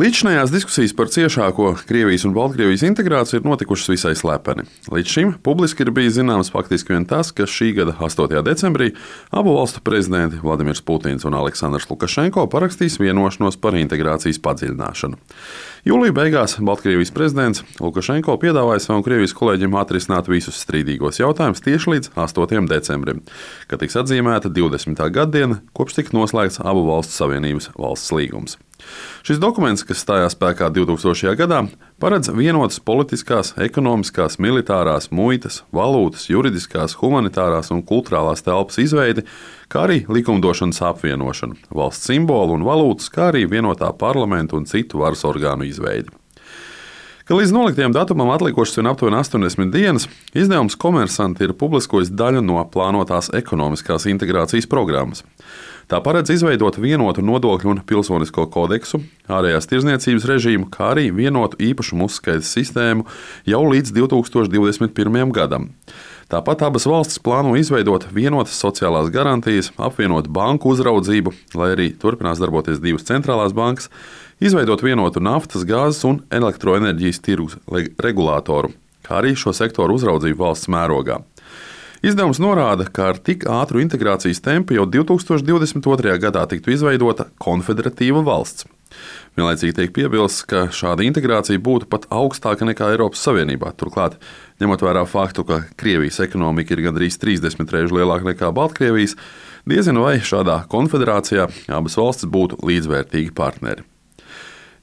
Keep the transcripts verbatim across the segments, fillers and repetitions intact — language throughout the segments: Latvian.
Līdzinājās diskusijas par ciešāko Krievijas un Baltkrievijas integrāciju ir notikušas visai slepeni. Līdz šim publiski ir bijis zināms faktiski vien tas, ka šī gada astotajā decembrī abu valstu prezidenti Vladimirs Putins un Aleksandrs Lukašenko parakstīs vienošanos par integrācijas padziļināšanu. Jūlija beigās Baltkrievijas prezidents Lukašenko piedāvāja savam Krievijas kolēģim atrisināt visus strīdīgos jautājumus tieši līdz astotajam decembrim, kad tiks atzīmēta divdesmitā gaddiena, kopš tika noslēgts abu valstu savienības valsts līgums. Šis dokuments, kas stājās spēkā divtūkstošajā gadā, paredz vienotas politiskās, ekonomiskās, militārās, muitas, valūtas, juridiskās, humanitārās un kultūrālās telpas izveidi, kā arī likumdošanas apvienošanu, valsts simbolu un valūtas, kā arī vienotā parlamenta un citu varas orgānu izveidi. Ka līdz noliktajam datumam atlikušas vien aptuveni astoņdesmit dienas, izdevums Komersanti ir publiskojis daļu no plānotās ekonomiskās integrācijas programmas. Tā paredz izveidot vienotu nodokļu un pilsonisko kodeksu, ārējās tirdzniecības režīmu, kā arī vienotu īpašumu uzskaites sistēmu jau līdz divtūkstoš divdesmit pirmajam gadam. Tāpat abas valstis plāno izveidot vienotas sociālās garantijas, apvienot banku uzraudzību, lai arī turpinās darboties divas centrālās bankas, izveidot vienotu naftas, gāzes un elektroenerģijas tirgus regulātoru, kā arī šo sektoru uzraudzību valsts mērogā. Izdevums norāda, ka ar tik ātru integrācijas tempu jau divtūkstoš divdesmit otrajā gadā tiktu izveidota konfederatīva valsts. Vienlaicīgi tiek piebilsts, ka šāda integrācija būtu pat augstāka nekā Eiropas Savienībā. Turklāt, ņemot vērā faktu, ka Krievijas ekonomika ir gandrīz trīsdesmit reižu lielāka nekā Baltkrievijas, diezinu vai šādā konfederācijā abas valstis būtu līdzvērtīgi partneri.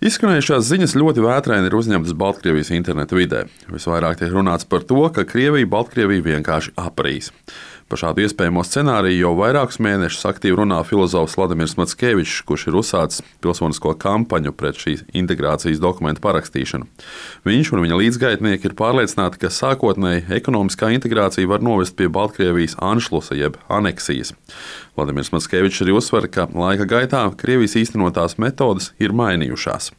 Izskanējušās ziņas ļoti vētraini ir uzņemtas Baltkrievijas interneta vidē. Visvairāk tiek runāts par to, ka Krievija Baltkrieviju vienkārši aprīs. Par šādu iespējamo scenāriju jau vairākus mēnešus aktīvi runā filozofs Vladimirs Mackevičs, kurš ir uzsācis pilsonisko kampaņu pret šīs integrācijas dokumentu parakstīšanu. Viņš un viņa līdzgaitnieki ir pārliecināti, ka sākotnēji ekonomiskā integrācija var novest pie Baltkrievijas anšlusa jeb aneksijas. Vladimirs Mackevičs arī uzsver, ka laika gaitā Krievijas īstenotās metodes ir mainījušās.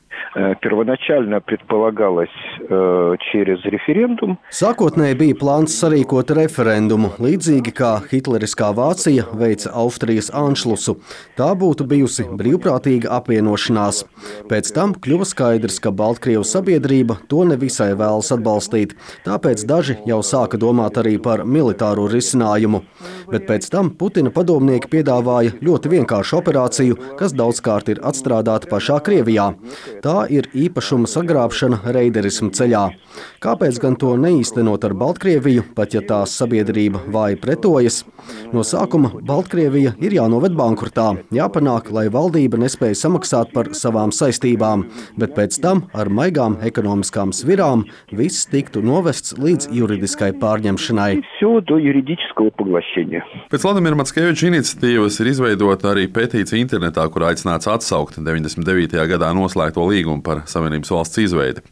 Первоначально предполагалось э, через референдум. Sākotnēji bija plāns sarīkot referendumu, līdzīgi kā hitleriskā Vācija veica Austrijas anšlusu. Tā būtu bijusi brīvprātīga apvienošanās. Pēc tam kļuva skaidrs, ka Baltkrievu sabiedrība to nevisai vēlas atbalstīt, tāpēc daži jau sāka domāt arī par militāro risinājumu. Bet pēc tam Putina padomnieki piedāvāja ļoti vienkāršu operāciju, kas daudzkārt ir atstrādāta pašā Krievijā. Tā ir īpašuma sagrābšana reiderismu ceļā. Kāpēc gan to neīstenot ar Baltkrieviju, pat ja tās sabiedrība vāji pretojas? No sākuma Baltkrievija ir jānoved bankrotā, jāpanāk, lai valdība nespēja samaksāt par savām saistībām, bet pēc tam ar maigām ekonomiskām svirām viss tiktu novests līdz juridiskai pārņemšanai. Pēc Vladimira Mackeviča iniciatīvas ir izveidota arī petīcija internetā, kur aicināts atsaukt deviņdesmit devītajā gadā noslēgto līgumu par Savienības valsts izveidi.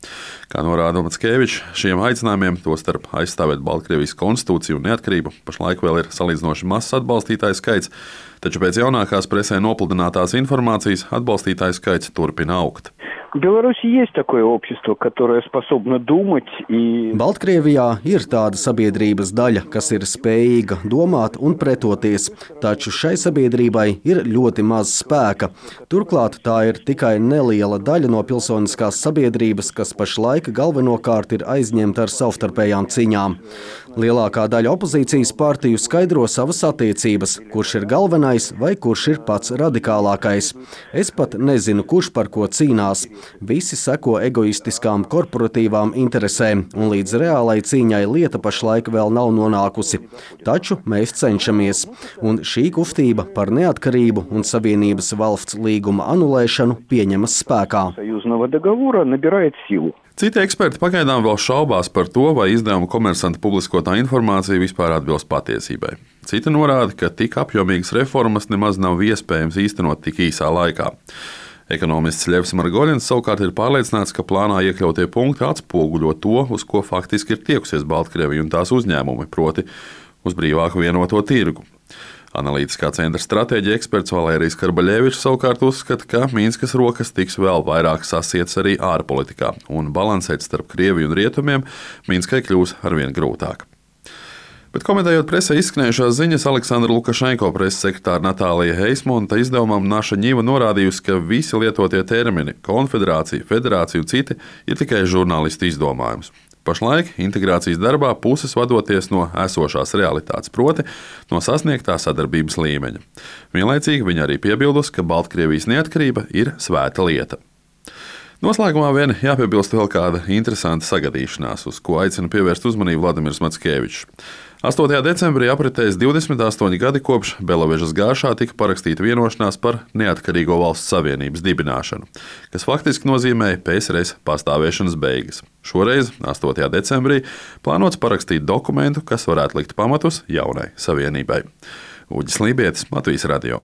Kā norāda Mackevičs, šiem aicinājumiem, tostarp aizstāvēt Baltkrievijas konstitūciju un neatkarību, pašlaik vēl ir salīdzinoši mazs atbalstītāju skaits, taču pēc jaunākās presē nopludinātās informācijas atbalstītāju skaits turpina augt. В Беларуси есть такое общество, которое способно думать и... Baltkrievijā ir tāda sabiedrības daļa, kas ir spējīga domāt un pretoties, taču šai sabiedrībai ir ļoti maz spēka. Turklāt tā ir tikai neliela daļa no pilsoniskās sabiedrības, kas pašlaik galvenokārt ir aizņemta ar savstarpējām cīņām. Lielākā daļa opozīcijas partiju skaidro savas attiecības, kurš ir galvenais vai kurš ir pats radikālākais. Es pat nezinu, kurš par ko cīnās. Visi seko egoistiskām korporatīvām interesēm, un līdz reālai cīņai lieta pašlaik vēl nav nonākusi. Taču mēs cenšamies, un šī kustība par neatkarību un Savienības valsts līguma anulēšanu pieņemas spēkā. Citi eksperti pagaidām vēl šaubās par to, vai izdevuma Komersanta publiskotā informācija vispār atbilst patiesībai. Citi norāda, ka tik apjomīgas reformas nemaz nav iespējams īstenot tik īsā laikā. Ekonomists Ļevs Margoļins savukārt ir pārliecināts, ka plānā iekļautie punkti atspoguļo to, uz ko faktiski ir tiekusies Baltkrievija un tās uzņēmumi, proti uz brīvāku vienoto tirgu. Analītiskā centra stratēģija eksperts Valērijas Karbaļevičs savukārt uzskata, ka Minskas rokas tiks vēl vairāk sasietas arī ārpolitikā, un balansēt starp Krieviju un Rietumiem Minskai kļūs arvien grūtāk. Bet komentējot presē izskanējušās ziņas, Aleksandra Lukašenko preses sekretāra Natālija Heismonta izdevumam Naša Ņiva norādījusi, ka visi lietotie termini – konfederācija, federācija un citi – ir tikai žurnālistu izdomājums. Pašlaik integrācijas darbā puses vadoties no esošās realitātes, proti no sasniegtā sadarbības līmeņa. Vienlaicīgi viņa arī piebildusi, ka Baltkrievijas neatkarība ir svēta lieta. Noslēgumā vien jāpiebilst vēl kāda interesanta sagadīšanās, uz ko aicina pievērst uzmanību Vladimirs Mackevičs. astotajā decembrī apritēs divdesmit astoņi gadi kopš Belavežas gāršā tika parakstīta vienošanās par Neatkarīgo valstu savienības dibināšanu, kas faktiski nozīmēja P S R S pastāvēšanas beigas. Šoreiz, astotajā decembrī, plānots parakstīt dokumentu, kas varētu likt pamatus jaunai savienībai. Uģis Lībietis, Latvijas radio.